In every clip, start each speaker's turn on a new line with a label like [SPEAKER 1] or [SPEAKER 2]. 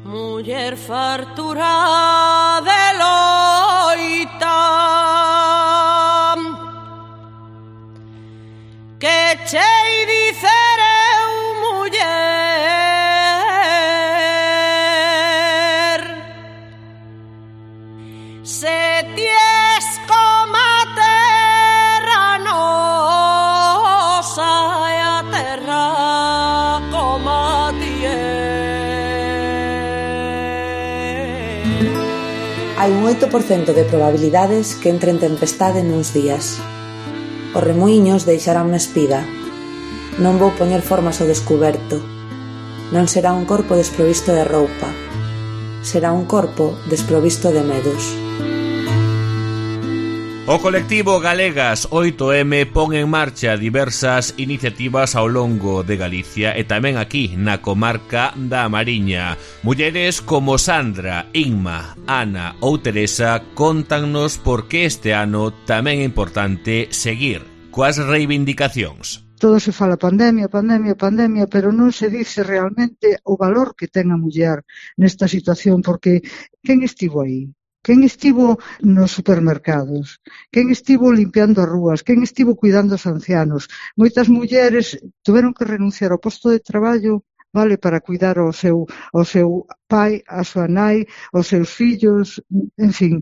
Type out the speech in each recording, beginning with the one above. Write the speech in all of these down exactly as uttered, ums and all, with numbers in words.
[SPEAKER 1] Muller fartura de loita que chei dicer eu muller se ties coma terra nosa e a terra coma tier.
[SPEAKER 2] Hai un oito por cento de probabilidades que entren tempestade nuns días. Os remuíños deixaranme espida. Non vou poñer formas ao descuberto. Non será un corpo desprovisto de roupa. Será un corpo desprovisto de medos.
[SPEAKER 3] O colectivo Galegas oito eme pon en marcha diversas iniciativas ao longo de Galicia e tamén aquí na comarca da Mariña. Mulleres como Sandra, Inma, Ana ou Teresa contannos por que este ano tamén é importante seguir coas reivindicacións.
[SPEAKER 4] Todo se fala pandemia, pandemia, pandemia, pero non se dice realmente o valor que ten a muller nesta situación, porque quen estivo aí? Quen estivo nos supermercados? Quen estivo limpiando as rúas? Quen estivo cuidando os ancianos? Moitas mulleres tuveron que renunciar ao posto de traballo, vale, para cuidar ao seu, ao seu pai, a súa nai, aos seus fillos, en fin,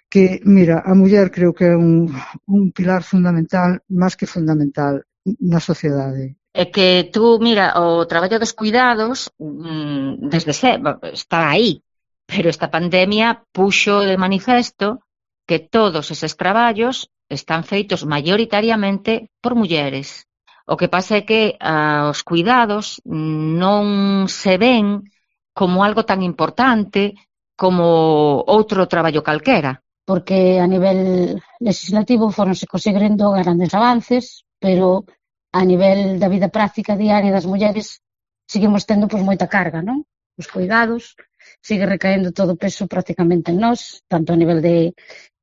[SPEAKER 4] que, mira, a muller creo que é un, un pilar fundamental, máis que fundamental, na sociedade.
[SPEAKER 5] É que tú, mira, o traballo dos cuidados, desde sempre, está aí. Pero esta pandemia puxo de manifesto que todos eses traballos están feitos maioritariamente por mulleres. O que pasa é que ah, os cuidados non se ven como algo tan importante como outro traballo calquera.
[SPEAKER 6] Porque a nivel legislativo foronse conseguindo grandes avances, pero a nivel da vida práctica diaria das mulleres seguimos tendo pois moita carga, non? Os cuidados, sigue recaendo todo o peso prácticamente en nós, tanto a nivel de,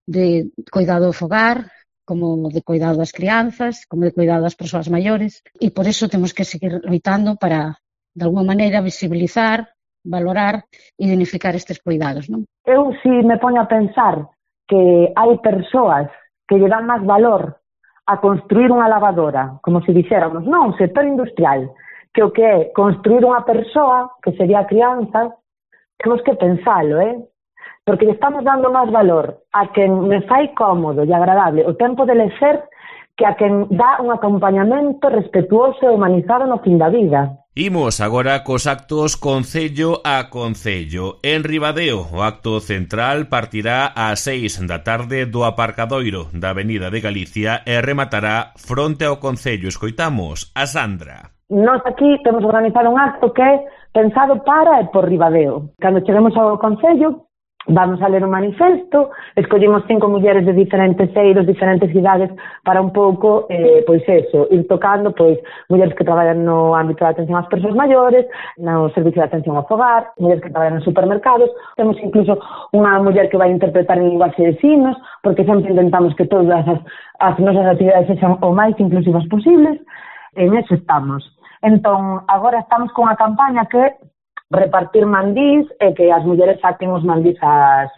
[SPEAKER 6] de cuidado do fogar, como de cuidado das crianzas, como de cuidado das persoas maiores, e por iso temos que seguir loitando para, de alguma maneira, visibilizar, valorar e dignificar estes cuidados, non?
[SPEAKER 7] Eu si me poño a pensar que hai persoas que lle dan máis valor a construir unha lavadora, como se dixéramos, non, un sector industrial, que o que é construir unha persoa, que sería a crianza, temos que pensalo, eh? Porque estamos dando máis valor a quen me fai cómodo e agradable o tempo de lecer que a quen dá un acompañamento respetuoso e humanizado no fin da vida.
[SPEAKER 3] Imos agora cos actos concello a concello. En Ribadeo, o acto central partirá ás seis da tarde do aparcadoiro da Avenida de Galicia e rematará fronte ao concello. Escoitamos a Sandra.
[SPEAKER 7] Nós aquí temos organizado un acto que é pensado para e por Ribadeo. Cando cheguemos ao concello, vamos a ler un manifesto, escollimos cinco mulleres de diferentes eiros, diferentes cidades, para un pouco, eh, pois eso, ir tocando, pois, mulleres que traballan no ámbito da atención ás persoas maiores, no servicio de atención ao fogar, mulleres que traballan nos supermercados, temos incluso unha muller que vai interpretar en linguaxe de signos, porque sempre intentamos que todas as, as nosas actividades sexan o máis inclusivas posibles, en eso estamos. Entón, agora estamos con a campaña que repartir mandís e que as mulleres saquen os mandís ás,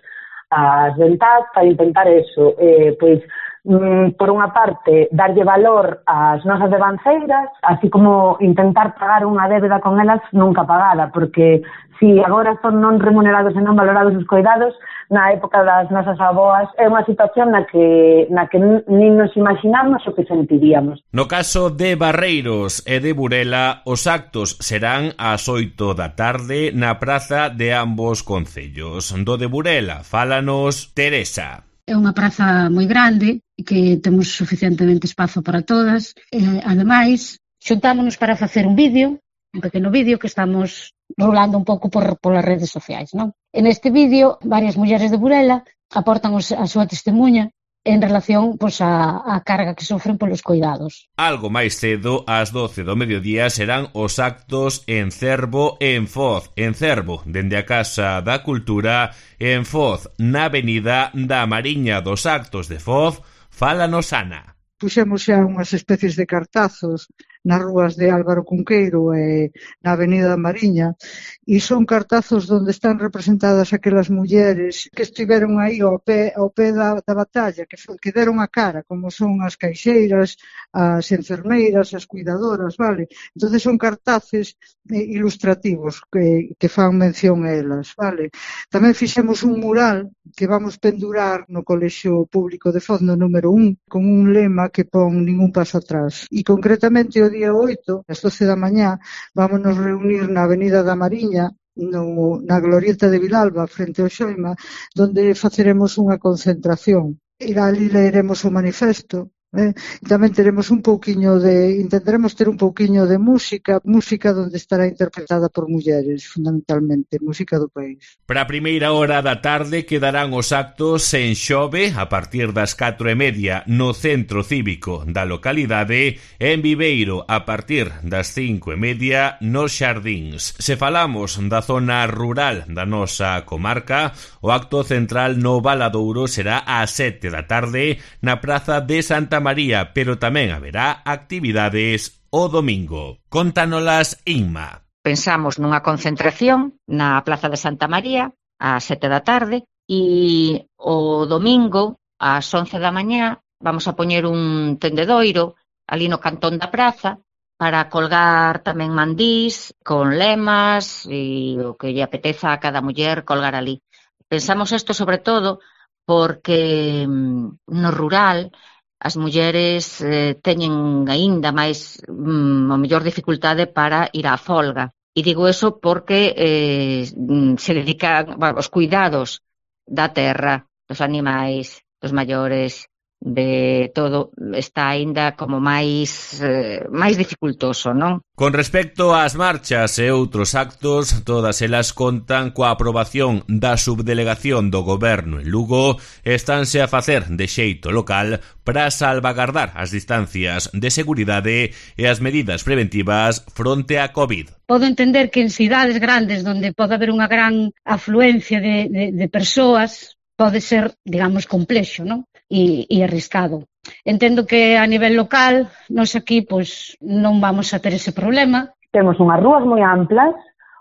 [SPEAKER 7] ás ventás para intentar eso, eh, pois, mm, por unha parte, darlle valor ás nosas devanceiras, así como intentar pagar unha débeda con elas nunca pagada, porque si agora son non remunerados e non valorados os cuidados, na época das nosas aboas é unha situación na que na que nin nos imaginamos o que sentiríamos.
[SPEAKER 3] No caso de Barreiros e de Burela, os actos serán ás oito da tarde na praza de ambos concellos. Do de Burela, fálanos Teresa.
[SPEAKER 6] É unha praza moi grande que temos suficientemente espazo para todas. E, ademais, xuntámonos para facer un vídeo, un pequeno vídeo que estamos rolando un pouco por, por as redes sociais, non? En este vídeo, varias mulleres de Burela aportan os, a súa testemunha en relación pois, a, a carga que sofren polos cuidados.
[SPEAKER 3] Algo máis cedo, ás doce do mediodía, serán os actos en Cervo e en Foz. En Cervo, dende a Casa da Cultura, e en Foz, na Avenida da Mariña. Dos actos de Foz, fálanos Ana.
[SPEAKER 4] Puxemos xa unhas especies de cartazos nas rúas de Álvaro Cunqueiro e na Avenida da Mariña, e son cartazos onde están representadas aquelas mulleres que estiveron aí ao pé, ao pé da, da batalla, que, que deron a cara, como son as caixeiras, as enfermeiras, as cuidadoras, vale? Entonces son cartaces eh, ilustrativos que, que fan mención a elas, vale? Tamén fixemos un mural que vamos pendurar no Colexio Público de Foz, no número un, con un lema que pon ningún paso atrás. E concretamente o día oito, ás doce da mañá, vamos nos reunir na Avenida da Mariña, no, na glorieta de Vilalba, frente ao Xoima, donde faceremos unha concentración. E ali leeremos o manifesto. Eh? E tamén teremos un pouquiño de, intentaremos ter un pouquiño de música, música onde estará interpretada por mulleres, fundamentalmente, música do país.
[SPEAKER 3] Para a primeira hora da tarde quedarán os actos en Xove a partir das catro e media no Centro Cívico da localidade e en Viveiro a partir das cinco e media nos Xardíns. Se falamos da zona rural da nosa comarca, o acto central no Valadouro será ás sete da tarde na Praza de Santa María, pero tamén haberá actividades o domingo. Contánolas Inma.
[SPEAKER 5] Pensamos nunha concentración na Plaza de Santa María ás sete da tarde e o domingo ás once da mañá vamos a poñer un tendedoiro ali no cantón da praza para colgar tamén mandís con lemas e o que lle apeteza a cada muller colgar ali. Pensamos isto sobre todo porque no rural as mulleres eh, teñen aínda máis mm, a mellor dificultade para ir á folga. E digo eso porque eh, se dedican bueno, os cuidados da terra, dos animais, dos maiores, de todo, está aínda como máis eh, máis dificultoso, non?
[SPEAKER 3] Con respecto ás marchas e outros actos, todas elas contan coa aprobación da subdelegación do Goberno en Lugo e estánse a facer de xeito local para salvagardar as distancias de seguridade e as medidas preventivas fronte á COVID.
[SPEAKER 6] Podo entender que en cidades grandes onde pode haber unha gran afluencia de, de, de persoas pode ser, digamos, complexo, non? E, e arriscado. Entendo que a nivel local, nós aquí, pois, non vamos a ter ese problema.
[SPEAKER 7] Temos unhas rúas moi amplas,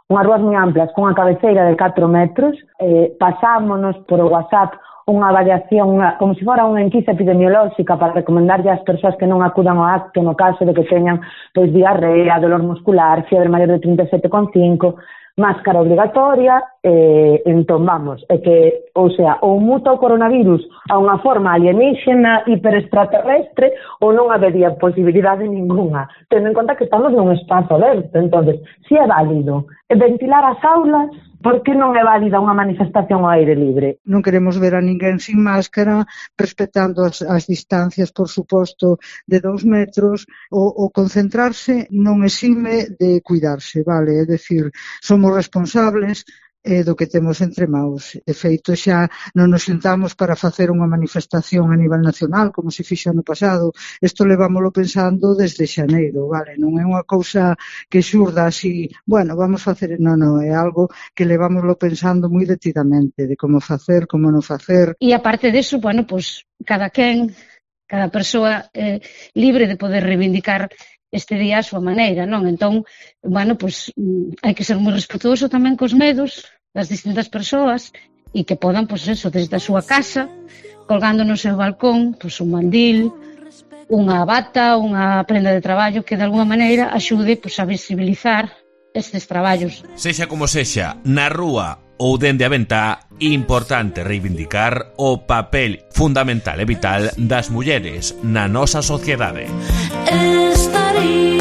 [SPEAKER 7] unhas rúas moi amplas, con unha cabeceira de catro metros, eh, pasámonos por o WhatsApp unha variación, unha, como se fora unha enquisa epidemiolóxica para recomendarlle ás persoas que non acudan ao acto no caso de que teñan pois diarrea, dolor muscular, fiebre maior de trinta e sete coma cinco, máscara obligatoria, eh, entón vamos, é que, ou sea, ou muta o coronavirus a unha forma alienígena hiperextraterrestre ou non habería posibilidade ninguna, tendo en conta que estamos nun espazo aberto. Entonces, si é válido ventilar as aulas, por que non é válida unha manifestación ao aire libre?
[SPEAKER 4] Non queremos ver a ninguén sin máscara, respetando as, as distancias, por suposto, de dous metros, o, o concentrarse non exime de cuidarse, vale? É dicir, somos responsables eh, do que temos entre maus. De feito, xa non nos sentamos para facer unha manifestación a nivel nacional, como se fixo ano pasado. Isto levámoslo pensando desde xaneiro, vale? Non é unha cousa que xurda así, bueno, vamos facer... Non, non, é algo que levámoslo pensando moi detidamente, de como facer, como non facer.
[SPEAKER 6] E aparte deso, bueno, pois, cada quen, cada persoa é eh, libre de poder reivindicar este día a súa maneira, non? Entón, bueno, pois, hai que ser moi respetuoso tamén cos medos das distintas persoas e que podan, pois eso, desde a súa casa, colgando no seu balcón, pois un mandil, unha bata, unha prenda de traballo que de alguma maneira axude pois, a visibilizar estes traballos.
[SPEAKER 3] Sexa como sexa, na rúa ou dende a ventá, importante reivindicar o papel fundamental e vital das mulleres na nosa sociedade.
[SPEAKER 1] Estaría